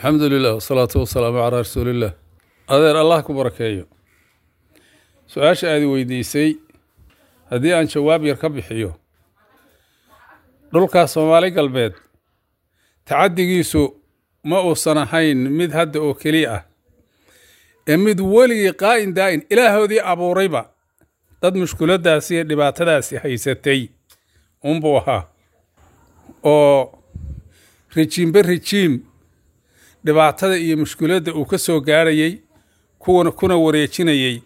Alxamdu lilah wasalaatu wasalaamu calaa rasuuliillah. Adeer, Allah ku barakeeyo. Su-aasha aad weydiisay haddii aan jawaab yar ka bixiyo, dhulkaas Soomaali Galbeed tacaddigiisu ma uusan ahayn mid hadda oo keliya ah ee mid weligii qaa'in daa'in ilaahoodii abuurayba dad mushkuladdaasi iyo dhibaatadaasi haysatay unbuu ahaa, oo rijiimbe rijiim dhibaatada iyo mushkuladda uu ka soo gaarhayey kuwana kuna wareejinayey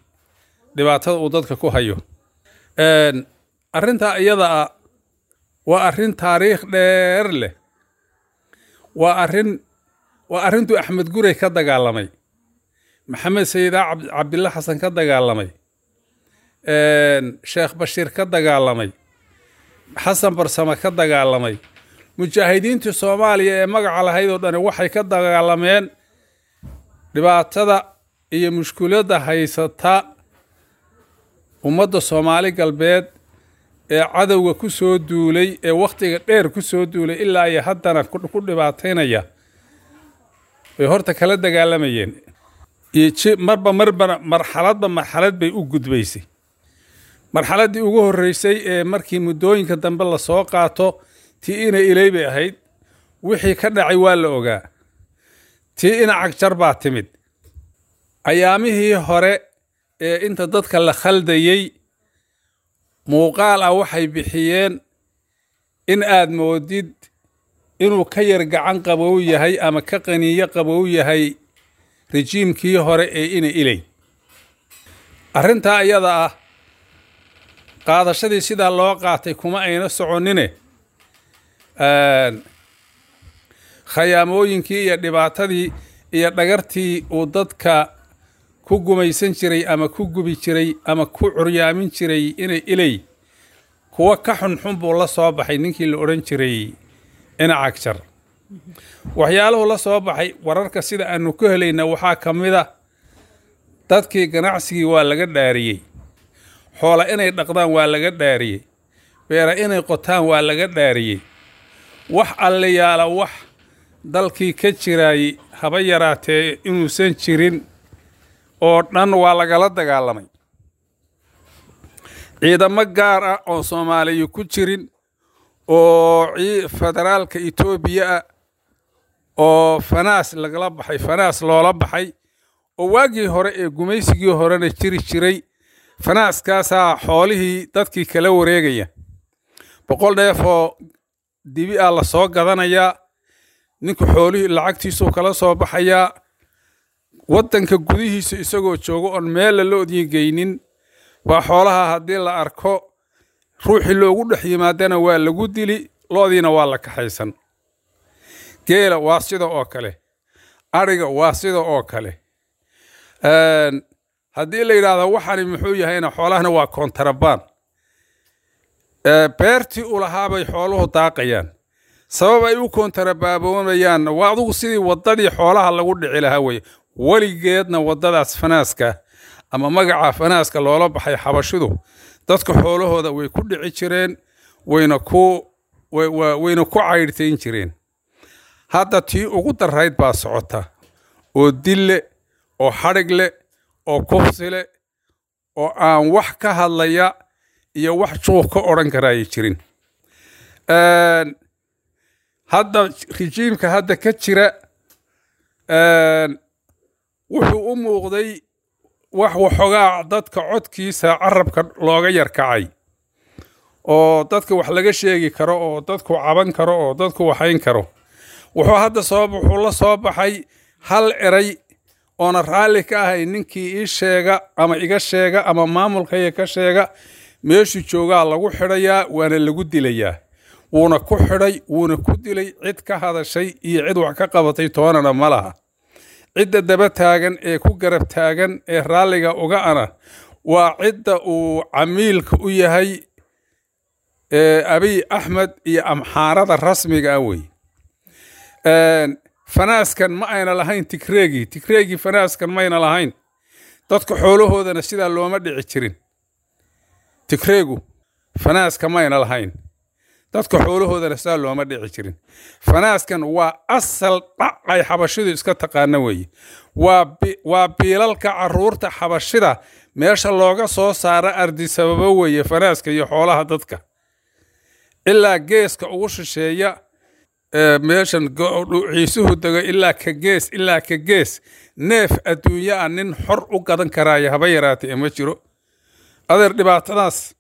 dhibaatada uu dadka ku hayo. Arrintaa iyada ah waa arrin taariikh dheer leh, waa arrintuu Axmed Gurey ka dagaalamay, Maxamed Sayidaa Cabdilla Xasan ka dagaalamay, Sheekh Bashiir ka dagaalamay, Xasan Barsame ka dagaalamay. Mujaahidiintii Soomaaliya ee magaca lahayd oo dhani waxay ka dagaalameen dhibaatada iyo mushkuladda haysata ummadda Soomaali Galbeed ee cadowga ku soo duulay, ee wakhtiga dheer ku soo duulay, ilaa iyo haddana ku dhibaataynaya bay horta kala dagaalamayeen. Iyo marba marbana marxaladba marxalad bay u gudbaysay. Marxaladdii ugu horreysay ee markii muddooyinka dambe lasoo qaato, tii ina Iley bay ahayd. Wixii ka dhacay waa la ogaa. Tii ina Cagjar baa timid. Ayaamihii hore ee inta dadka la khaldayey muuqaal ah waxay bixiyeen in aad moodid inuu ka yar gacan qabow yahay ama ka qaniyo qabow yahay rejiimkii hore ee ina Iley. Arrintaa iyada ah qaadashadii sidaa loo qaatay kuma ayna soconine, khayaamooyinkii iyo dhibaatadii iyo dhagartii uu dadka ku gumaysan jiray ama ku gubi jiray ama ku curyaamin jiray inay Iley, kuwa ka xunxun buu la soo baxay ninkii la odhan jiray ina Cagjar. Waxyaaluhu la soo baxay wararka sida aanu ku helayna waxaa ka mid a dadkii ganacsigii waa laga dhaariyey, xoola inay dhaqdaan waa laga dhaariyey, beera inay qotaan waa laga dhaariyey, wax alliyaala wax dalkii ka jiraayey haba yaraatee inuusan jirin oo dhan waa lagala dagaalamay. Ciidamo gaar ah oon Soomaaliya ku jirin oo federaalka Etoobiya ah oo fanaas lagala baxay, fanaas loola baxay, oo waagii hore ee gumaysigii horena jiri jiray, fanaaskaasaa xoolihii dadkii kala wareegaya. 100 neefoo dibi ah la soo gadanayaa, ninku xoolihii lacagtiisuu kala soo baxayaa waddanka gudihiisa isagoo joogo oon meella loodii geynin baa xoolaha haddii la arko ruuxii loogu dhex yimaadana waa lagu dili, loodiina waa la kaxaysan. Geela waa sida oo kale, ariga waa sida oo kale. Haddii la yidhaahdo waxani muxuu yahayna, xoolahana waa kontarabaan. Beertii u lahaabay xooluhu daaqayaan. Sabab ay u kontarabaaboonayaan waa adugu sidii waddadii xoolaha lagu dhici lahaa weye. Weligeedna waddadaas fanaaska ama magaca fanaaska loola baxay xabashidu dadka xoolahooda way ku dhici jireen, wayna ku caydhtayn jireen. Hadda tii ugu darayd baa socota oo dille oo xadhig leh oo kufsi leh oo aan wax ka hadlaya iyo wax juuq ka odhan karaaya jirin. Hadda rijiimka hadda ka jira wuxuu u muuqday wax waxoogaa dadka codkiisa carabka looga yar kacay oo dadka wax laga sheegi karo oo dadku caban karo oo dadku waxayn karo. Wuxuu hadda soo wuxuu la soo baxay hal eray oona raalli ka ahay: ninkii ii sheega ama iga sheega ama maamulkaya ka sheega, meeshuu joogaa lagu xidhayaa waana lagu dilayaa. Wuuna ku xidhay, wuuna ku dilay. Cid ka hadashay iyo cid wax ka qabatay toonana ma laha. Cidda daba taagan ee ku garab taagan ee raalliga uga ana waa cidda uu camiilka u yahay Abiy Axmed iyo Amxaarada rasmiga ah wey. Fanaaskan ma ayna lahayn Tigreegii. Tigreegii fanaaskan mayna lahayn, dadka xoolahoodana sidaa looma dhici jirin. Tigreegu fanaaska mayna lahayn. Dadka xoolahoodana saa looma dhici jirin. Fanaaskan waa asal dhac ay xabashidu iska taqaana weeye. Waa biilalka caruurta xabashida meesha looga soo saara Ardisababo weeye, fanaaska iyo xoolaha dadka ilaa geeska ugu shisheeya meeshan ciisuhu dego, ilaa ka gees ilaa ka gees. Neef adduunyo ah nin xor u gadan karaayo haba yaraatay ee ma jiro. Adeer, dhibaatadaas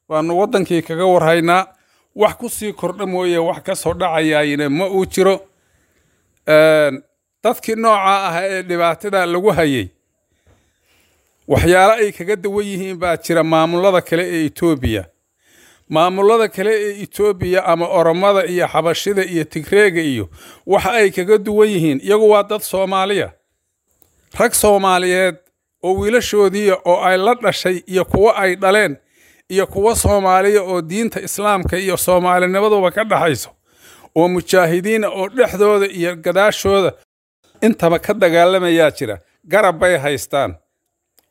baanu waddankii kaga warhaynaa. Wax ku sii kordha mooye wax ka soo dhacayaayina ma uu jiro. Dadkii noocaa ah ee dhibaatada lagu hayay, waxyaalo ay kaga duwan yihiin baa jira maamulada kale ee Etoobiya. Maamulada kale ee Etoobiya ama Oromada iyo Xabashida iyo Tigreega iyo waxa ay kaga duwan yihiin, iyagu waa dad Soomaaliya, rag Soomaaliyeed oo wiilashoodiiya oo ay la dhashay iyo kuwo ay dhaleen iyo kuwo Soomaaliya oo diinta Islaamka iyo soomaalinimaduba ka dhaxayso oo mujaahidiina oo dhexdooda iyo gadaashooda intaba ka dagaalamayaa jira. Garab bay haystaan.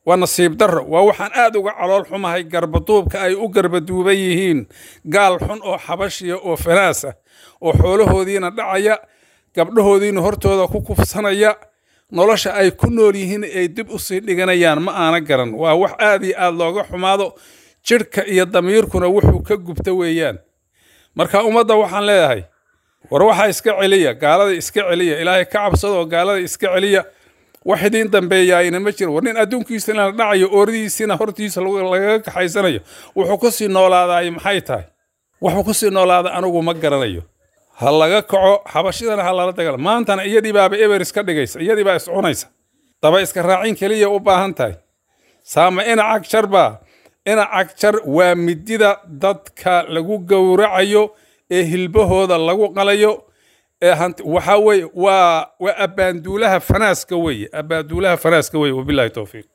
Waa nasiib darro, waa waxaan aad uga calool xumahay garbaduubka ay u garbaduuban yihiin gaal xun oo xabashiya oo fanaas ah oo xoolahoodiina dhacaya, gabdhahoodiina hortooda ku kufsanaya, nolosha ay ku nool yihiin ay dib u sii dhiganayaan. Ma aana garan, waa wax aad iyo aad looga xumaado, jidhka iyo damiirkuna wuxuu ka gubta weeyaan. Marka ummadda waxaan leeyahay, war waxaa iska celiya gaalada, iska celiya, Ilaahay ka cabsada oo gaalada iska celiya. Wax idiin dambeeyaayna ma jiro. War nin adduunkiisana la dhacayo, ooridiisina hortiisa lagaga kaxaysanayo, wuxuu ku sii noolaadaay maxay tahay? Wuxuu ku sii noolaada anigu ma garanayo. Ha laga kaco xabashidana, ha lala dagaalo. Maantana iyadii baaba eber iska dhigaysa, iyadii baa iscunaysa, daba iska raacin keliya u baahan tahay. Saama ina Cagjar baa ina Cagjar waa midida dadka lagu gowracayo ee hilbahooda lagu qalayo ee hanti. Waxaa weeye waa abbaanduulaha fanaaska weeye, abbaanduulaha fanaaska weeye. Wabillahi towfiiq.